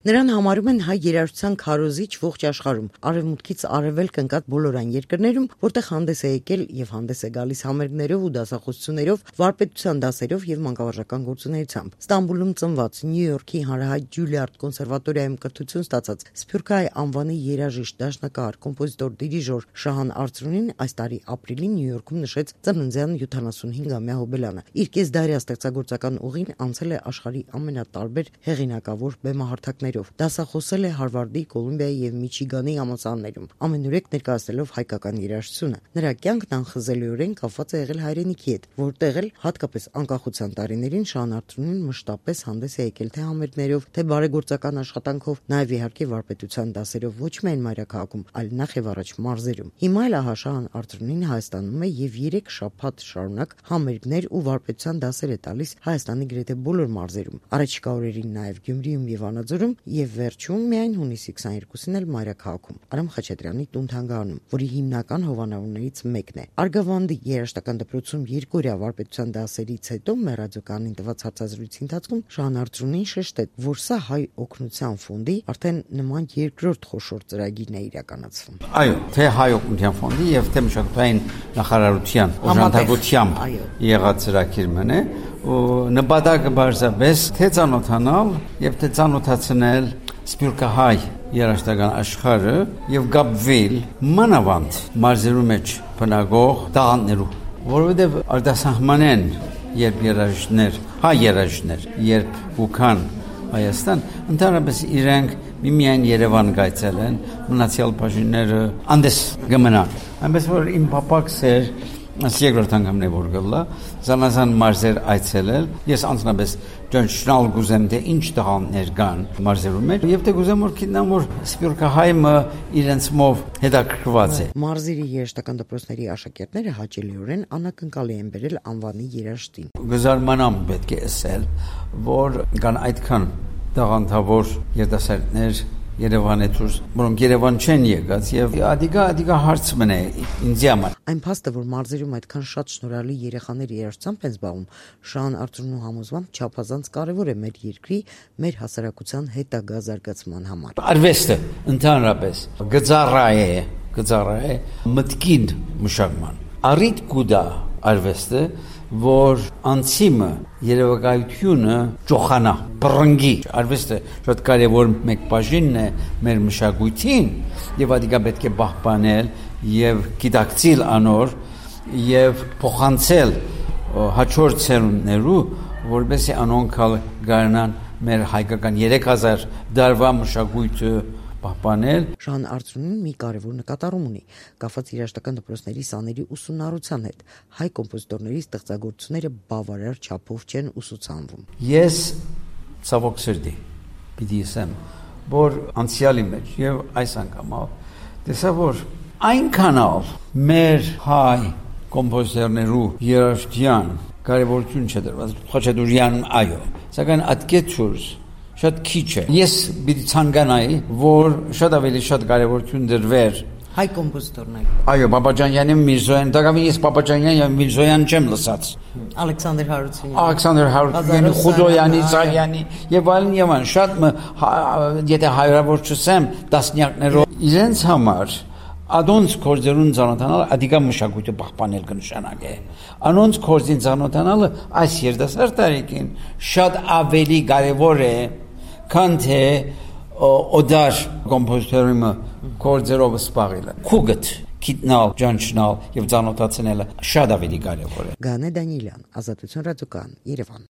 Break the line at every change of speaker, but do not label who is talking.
Նրան համարում են հայ երաժշտության քարոզիչ ողջ աշխարհում, արևմուտքից արևելք ընկած բոլոր այն երկրներում, որտեղ հանդես է եկել եւ հանդես է գալիս համերգներով ու դասախոսություններով, վարպետության դասերով եւ մանկավարժական գործունեությամբ։ Ստամբուլում ծնված, Նյու Յորքի հանրահայտ Ջուլիարդ կոնսերվատորիայում կրթություն ստացած Սփյուռքահայ անվանի երաժիշտ, դաշնակահար, կոմպոզիտոր, դիրիժոր Շահան Արծրունին այս տարի ապրիլին Նյու Յորքում նշեց ծննդյան 75-ամյա հոբելանը։ Իր կեսդարյա ստեղծագործական ուղին անցել է աշխարհի ամենատարբեր հեղինակավոր բեմահարթակներով։ Դասախոսել է Հարվարդի, Կոլումբիայի եւ Միչիգանի համալսարաններում, ամենուրեք ներկայացնելով հայկական երաժշտությունը։ Նրա կյանքն անխզելիորեն կապված է եղել հայրենիքի հետ, որտեղ էլ հատկապես անկախության տարիներին Շահան Արծրունին մշտապես հանդես է եկել թե համերգներով, թե բարեգործական աշխատանքով, նաեւ իհարկե վարպետության դասերով ոչ միայն մայրաքաղաքում, այլ նախ եւ առաջ մարզերում։ Հիմա էլ Շահան Արծրունին Հայաստանում է եւ 3 շաբաթ շարունակ համերգներ ու վարպետության դասեր է տալիս Հայաստանի գրեթե բոլոր մարզերում։ Առաջիկա օրերին նաեւ Գյումրիում եւ Վանաձորում եւ վերջում միայն հունիսի 22-ին էլ մայրաքաղաքում Արամ Խաչատրյանի տուն-թանգարանում, որի հիմնական հովանավորներից մեկն է։ Արգավանդի երաժշտական դպրոցում 2 օրյա վարպետության դասերից հետո մեր ռադիոկայանին տված հարցազրույցի ընթացքում Շահան Արծրունին շեշտեց, որ սա Հայ օգնության ֆոնդի արդեն նման երկրորդ խոշոր ծրագիրն է իրականացվում։
Այո, թե Հայ օգնության ֆոնդի եւ թե մշակութային նախարարության օժանդակությամբ եղած ծրագիրն է, ու նպատակը բարձրապես թե ծանոթանալ եւ թե ծանոթացնել սփյուռքահայ երաժշտական աշխարհը եւ գապվել մանավանդ մարզերու մեջ բնակող տաղանդներու, որովհետեւ արտասահմանեն երբ երաժիշտներ, հայ երաժիշտներ, երբ ուքան Հայաստան, ընդհանրապես իրենք միմիայն Երևան գայցելեն, մնացյալ բաժինները անդես գմնան։ Այնպես որ իմ պապակս էր երկրորդ անգամն է որ գլա, զանազան մարզեր այցելել, ես անձնապես ճանաչել գուզեմ թե ինչ տաղանդներ կան մարզերում մեջ, եւ թե գուզեմ որ գիտնամ որ սփյուռքահայը իրենցմով հետաքրքրված է։
Մարզերի երաժշտական դպրոցների աշակերտները հաճելիորեն անակնկալի են բերել անվանի երաժշտին։
Գզարմանամ պետք է ասել, որ կան այդքան տաղանդավոր երդասարտներ Երևանը դուրս, որոնք Երևան չեն եկած եւ ադիգա հարց մնա ինձ համար։
Այն փաստը, որ մարզերում այդքան շատ շնորհալի երեխաներ երաժշտությամբ են զբաղվում, Շահան Արծրունու համոզմամբ չափազանց կարևոր է մեր երկրի, մեր հասարակության հետագա զարգացման համար։
Արվեստը ընդհանրապես գծառա է մտքին մշակման։ Առիթ կուտա արվեստը, որ անցիմը երևակայությունը ճոխանա, բռնգի։ Արվեստը շատ կարևոր մեկ բաժինն է մեր մշակույթին եւ ադիգա պետք է պահպանել եւ գիտակցել անոր եւ փոխանցել հաջորդ ցերուններու, որովհետեւ անոնք գարնան մեր հայկական 3000 դարվա մշակույթը պահպանել։
Շահան Արծրունին մի կարևոր նկատառում ունի, կապված երաժշտական դպրոցների սաների ուսումնառության հետ։ Հայ կոմպոզիտորների ստեղծագործությունները բավարար չափով չեն ուսուցանվում։
Ես ցավոք սրտի պիտի ասեմ, որ անցյալի մեջ եւ այս անգամով տեսա որ այնքանով մեր հայ կոմպոզիտորներու երաժշտության կարևորություն չդրված Խաչատուրյան այո, սակայն ատկեցուր շատ քիչ է։ Ես պիտի ցանկանայի, որ շատ ավելի շատ կարևորություն դրվեր
հայ կոմպոզիտորներ։
Այո, Բաբաջանյանի, Միրզոյան, դակամի ես Բաբաջանյան եւ Միրզոյան չեմ լսած։
Ալեքսանդր Հարությունյանի,
Խուդոյանի, Սարյանի եւ այլն շատ եթե հայրավոր չսեմ տասնյակներով իրենց համար Adonց կորձերուն ծանոթանալ ադիգա մշակույթը պահպանել կնշանակե։ Անոնց կորձին ծանոթանալը այս երդասարդ տարիքին շատ ավելի կարևոր է, քան թե օդար կոմպոզիտորի կորձերով սպաղելը։ Քուգտ գիտնալ, ճանչնալ եւ ծանոթացնելը շատ ավելի կարևոր է։
Գանե Դանիելյան, Ազատություն ռադիոկայան, Երևան։